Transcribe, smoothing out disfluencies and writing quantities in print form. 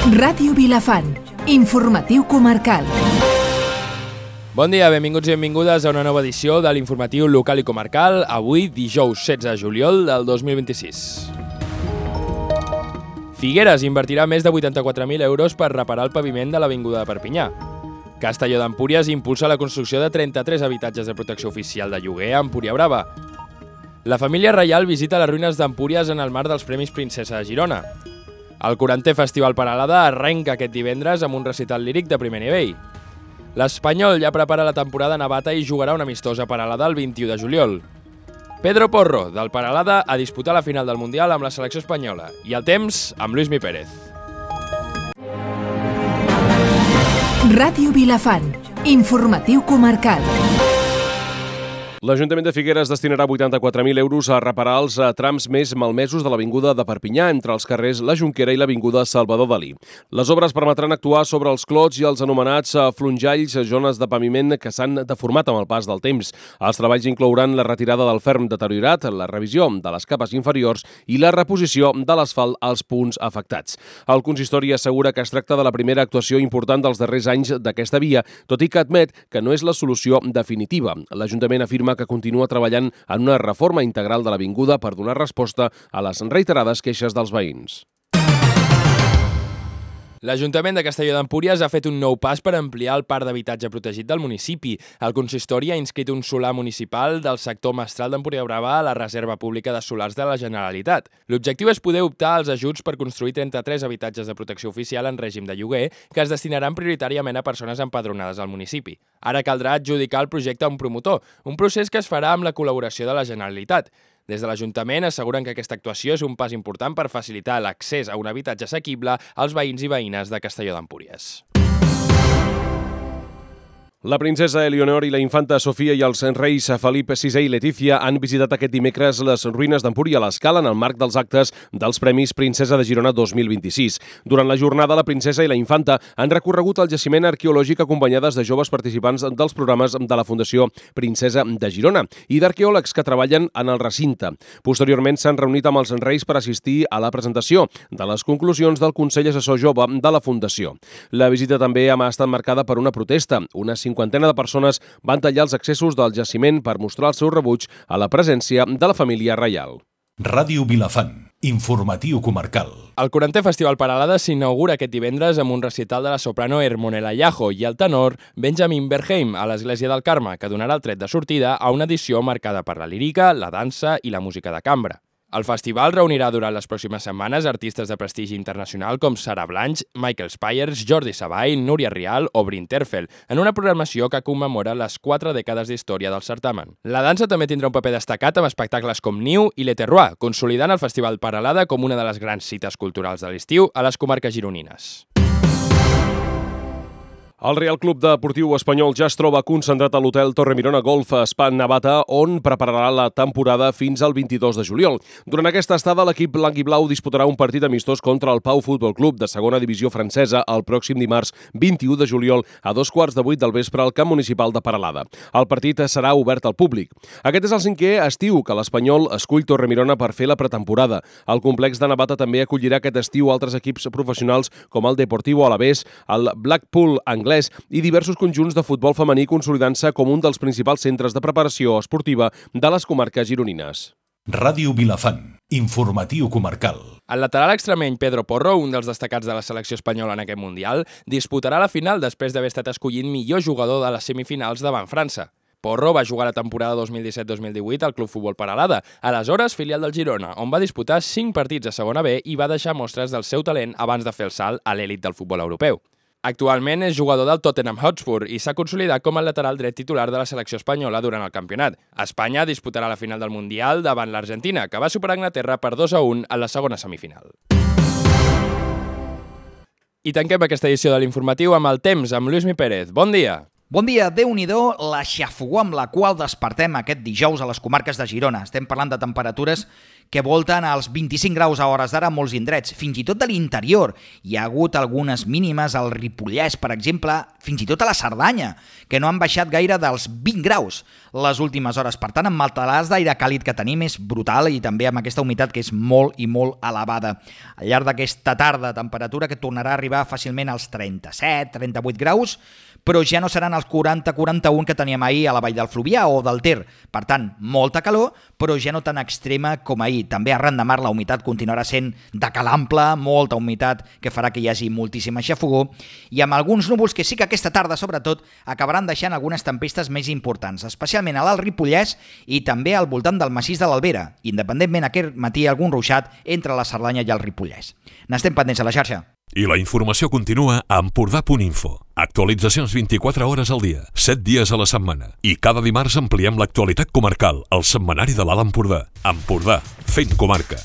Ràdio Vilafant, informatiu comarcal. Bon dia, benvinguts i benvingudes a una nova edició de l'informatiu local i comarcal, avui dijous 16 de juliol del 2026. Figueres invertirà més de 84.000 euros per reparar el paviment de l'Avinguda de Perpinyà. Castelló d'Empúries impulsa la construcció de 33 habitatges de protecció oficial de lloguer a Empúria Brava. La família reial visita les ruïnes d'Empúries en el marc dels Premis Princesa de Girona. El 40è Festival Peralada arrenca aquest divendres amb un recital líric de primer nivell. L'Espanyol ja prepara la temporada navata i jugarà una amistosa Peralada el 21 de juliol. Pedro Porro, del Peralada, a disputar la final del Mundial amb la selecció espanyola. I el temps, amb Luismi Pérez. Ràdio Vilafant, informatiu comarcal. L'Ajuntament de Figueres destinarà 84.000 euros a reparar els trams més malmesos de l'Avinguda de Perpinyà, entre els carrers La Jonquera i l'Avinguda Salvador Dalí. Les obres permetran actuar sobre els clots i els anomenats flonjalls, zones de paviment que s'han deformat amb el pas del temps. Els treballs inclouran la retirada del ferm deteriorat, la revisió de les capes inferiors i la reposició de l'asfalt als punts afectats. El consistori assegura que es tracta de la primera actuació important dels darrers anys d'aquesta via, tot i que admet que no és la solució definitiva. L'Ajuntament afirma que continua treballant en una reforma integral de l'avinguda per donar resposta a les reiterades queixes dels veïns. L'Ajuntament de Castelló d'Empúries ha fet un nou pas per ampliar el parc d'habitatge protegit del municipi. El consistori ha inscrit un solar municipal del sector mestral d'Empúria Brava a la Reserva Pública de Solars de la Generalitat. L'objectiu és poder optar als ajuts per construir 33 habitatges de protecció oficial en règim de lloguer que es destinaran prioritàriament a persones empadronades al municipi. Ara caldrà adjudicar el projecte a un promotor, un procés que es farà amb la col·laboració de la Generalitat. Des de l'Ajuntament asseguren que aquesta actuació és un pas important per facilitar l'accés a un habitatge assequible als veïns i veïnes de Castelló d'Empúries. La princesa Eleonor i la infanta Sofia i els reis Felip VI i Letícia han visitat aquest dimecres les ruïnes d'Empúria a l'Escala en el marc dels actes dels Premis Princesa de Girona 2026. Durant la jornada, la princesa i la infanta han recorregut el jaciment arqueològic acompanyades de joves participants dels programes de la Fundació Princesa de Girona i d'arqueòlegs que treballen en el recinte. Posteriorment s'han reunit amb els reis per assistir a la presentació de les conclusions del Consell Assessor Jove de la Fundació. La visita també ha estat marcada per una protesta. Una cinquantena de persones van tallar els accessos del jaciment per mostrar el seu rebuig a la presència de la família reial. Ràdio Vilafant, informatiu comarcal. El 40è Festival Peralada s'inaugura aquest divendres amb un recital de la soprano Hermonella Llajo i el tenor Benjamin Berheim a l'Església del Carme, que donarà el tret de sortida a una edició marcada per la lírica, la dansa i la música de cambra. El festival reunirà durant les pròximes setmanes artistes de prestigi internacional com Sara Blanch, Michael Spires, Jordi Savall, Núria Rial o Bryn Terfel, en una programació que commemora les 4 dècades d'història del certamen. La dansa també tindrà un paper destacat amb espectacles com Niu i Le Terroir, consolidant el Festival Peralada com una de les grans cites culturals de l'estiu a les comarques gironines. El Real Club Deportiu Espanyol ja es troba concentrat a l'hotel Torre Mirona Golf Spa Navata, on prepararà la temporada fins al 22 de juliol. Durant aquesta estada, l'equip blanc i blau disputarà un partit amistós contra el Pau Futbol Club de segona divisió francesa el pròxim dimarts 21 de juliol a 7:15 del vespre al camp municipal de Peralada. El partit serà obert al públic. Aquest és el 5è estiu que l'Espanyol escull Torre Mirona per fer la pretemporada. El complex de Navata també acollirà aquest estiu altres equips professionals com el Deportivo Alavés, el Blackpool anglès i diversos conjunts de futbol femení consolidant-se com un dels principals centres de preparació esportiva de les comarques gironines. Ràdio Vilafant, informatiu comarcal. El lateral extremeny Pedro Porro, un dels destacats de la selecció espanyola en aquest Mundial, disputarà la final després d'haver estat escollit millor jugador de les semifinals davant França. Porro va jugar la temporada 2017-2018 al Club Futbol Peralada, aleshores filial del Girona, on va disputar 5 partits a segona B i va deixar mostres del seu talent abans de fer el salt a l'elit del futbol europeu. Actualment és jugador del Tottenham Hotspur i s'ha consolidat com el lateral dret titular de la selecció espanyola durant el campionat. Espanya disputarà la final del Mundial davant l'Argentina, que va superar Anglaterra per 2-1 a la segona semifinal. I tanquem aquesta edició de l'informatiu amb el temps, amb Luismi Pérez. Bon dia! Bon dia, Déu-n'hi-do, la xafogor amb la qual despertem aquest dijous a les comarques de Girona. Estem parlant de temperatures que volten als 25 graus a hores d'ara a molts indrets, fins i tot de l'interior. Hi ha hagut algunes mínimes al Ripollès, per exemple, fins i tot a la Cerdanya, que no han baixat gaire dels 20 graus les últimes hores. Per tant, amb el talàs d'aire càlid que tenim és brutal i també amb aquesta humitat que és molt i molt elevada. Al llarg d'aquesta tarda, temperatura que tornarà a arribar fàcilment als 37-38 graus, però ja no seran els 40-41 que teníem ahir a la Vall del Fluvià o del Ter. Per tant, molta calor, però ja no tan extrema com ahir. També arran de mar la humitat continuarà sent de calample, molta humitat que farà que hi hagi moltíssima xafogor i amb alguns núvols que sí que aquesta tarda, sobretot, acabaran deixant algunes tempestes més importants, especialment a l'Alt Ripollès i també al voltant del massís de l'Albera, independentment aquest matí algun ruixat entre la Cerdanya i el Ripollès. N'estem pendents a la xarxa. I la informació continua a Empordà.info. Actualitzacions 24 hores al dia, 7 dies a la setmana. I cada dimarts ampliem l'actualitat comarcal al setmanari de l'Alt Empordà. Empordà, fent comarca.